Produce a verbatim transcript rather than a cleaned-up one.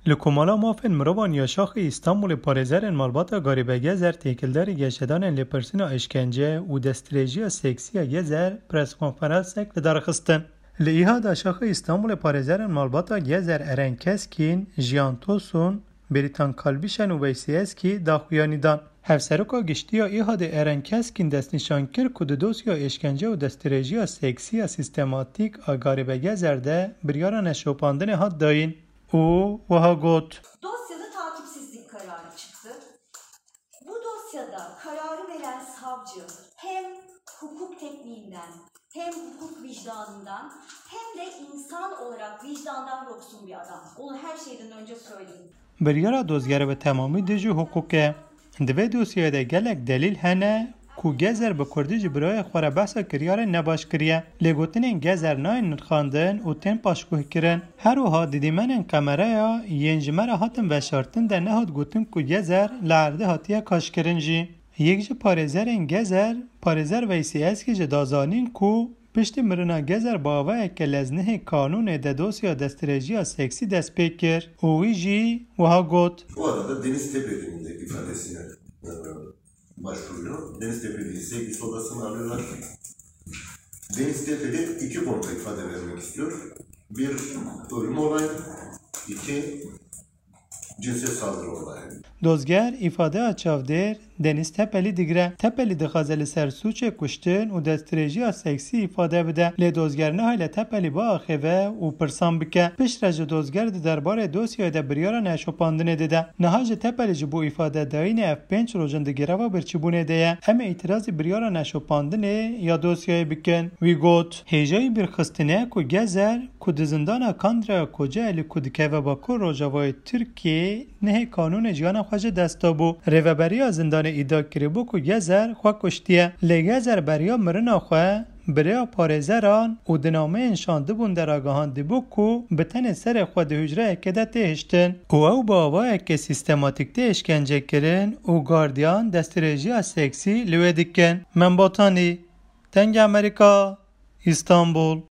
Li Komala Mafên Mirovan ya Şaxê Îstanbulê parêzerên malbata Garîbe Gezer têkildarî geşedanên lêpirsîna îşkence û destdirêjiya seksî ya Gezer preskonferansek li dar xistin. Li Îhada Şaxê Îstanbulê parêzerên malbata Gezer Eren Keskîn, Jiyan Tosun, Bêrîtan Kalbîşen û Veysî Eskî daxuyanî dan. Hevseroka Giştî ya Îhadê Eren Keskîn destnîşan kir ku di dosya êşkence û destdirêjiya seksî ya sîstematîk a Garîbe Gezer de biryara neşopandinê hat dayîn û wiha got. Dosyada takipsizlik kararı çıktı. Bu dosyada kararı veren savcı hem hukuk tekniğinden, hem hukuk vicdanından, hem de insan olarak vicdandan yoksun bir adam. Onu her şeyden önce söyleyeyim. Biryara dozgerê bi temamî dijî hiqûq e. Di vê dosyayê de gelek delîl hene ku Gezer bi kurdî ji birayê xwe re behsa kiryarên nebaş kiriye. Lê gotinên Gezer nayên nirxandin û tên paşguhkirin. Her wiha di dîmenên kameraya yên ji me re hatin veşartin de nehat gotin ku Gezer li erdê hatiye kaşkirin jî. Yek ji parêzerên Gezer, parêzer Veysî Eskî jî da zanîn ku piştî mirina Gezer bi avayeke leznihê kanûnê de dosya destdirêjiya seksî dest pê kir û wî jî wiha got. Bu arada Deniz Tepeli'nin de ifadesine e, başvuruyor. Deniz Tepeli'yi sevgilisi odasına alıyorlar. Deniz Tepeli iki konuda ifade vermek istiyor. Bir ölüm olayı, iki cinsel saldırı olayı. Dozger îfadeya çavdêr Deniz Tepelî digire. Tepelî dixwaze li ser sûcê kuştin û destdirêjiya seksî îfade bide. Lê dozger niha li Tepelî biaxive û pirsan bike. Piştre jî dozger di derbarê dosyayê de biryara neşopandinê dide. Niha jî Tepelî ji bo îfade dayînê ev pênc roj in di greva birçîbûnê de ye. Em ê îtirazî biryara neşopandinê ya dosyayê bikin. Wî got, hêjayî bîrxistinê ye ku Gezer ku di zindana Kandraya Kocaelî ku dikeve Bakur Rojavayê Tirkiyeyê, nihê kanûnê jiyana xwe ji dest dabû. Rêveberiya zindanê îdia kiribû ku Gezer xwe kuştiye. Lê Gezer beriya mirina xwe bi rêya parêzeran û di nameyên şandibûn de ragihandibû ku bi tenê serê xwe di hucreyekê de tê hiştin û ew bi awayeke sîstematîk tê îşkencekirin û gardiyan destdirêjiya seksî li wê dikin. Membatanî, Dengê Amerîka, Îstanbul.